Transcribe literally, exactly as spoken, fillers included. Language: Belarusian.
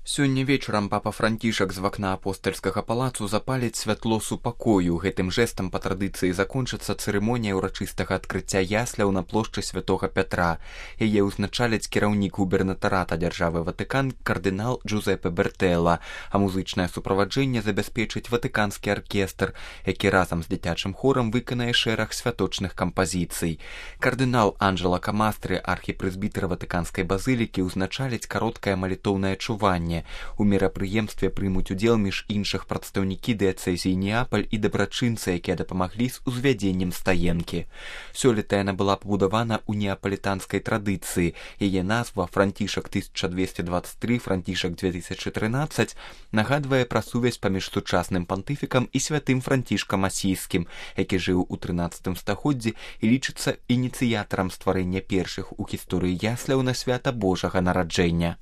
Сёння вечарам папа Францішак з вакна апостальскага палацу запаліць святло супакою. Гэтым жэстам па традыцыі закончыцца цырымонія ўрачыстага адкрыцця ясляў на плошчы святога Пятра. Яе ўзначаліць кіраўнік губернатарата дзяржавы Ватыкан кардынал Джузепе Бертэлла, а музычнае суправаджэнне забяспечыць ватыканскі аркестр, які разам з дзіцячым хорам выканае шэраг святочных кампазіцый. Кардынал Анджела Камастры, архіпрэзбітэр ватыканскай базылікі, ўзначаліць кароткае малітоўнае чуванне. У мерапрыемстве прымуць удзел між іншых прадстаўнікі дыяцэзіі Неапаль і дабрачынцы, якія дапамаглі з узвядзеннем стаенкі. Сёлета яна была пабудавана ў неапалітанскай традыцыі. Яе назва «Францішак тысяча двести двадцать три — Францішак две тысячи тринадцать» нагадвае пра сувязь паміж сучасным пантыфікам і святым Францішкам Асійскім, які жыў у трынаццатым стагоддзі і лічыцца ініцыятарам стварэння першых у гісторыі ясляў на свята Божага нараджэння.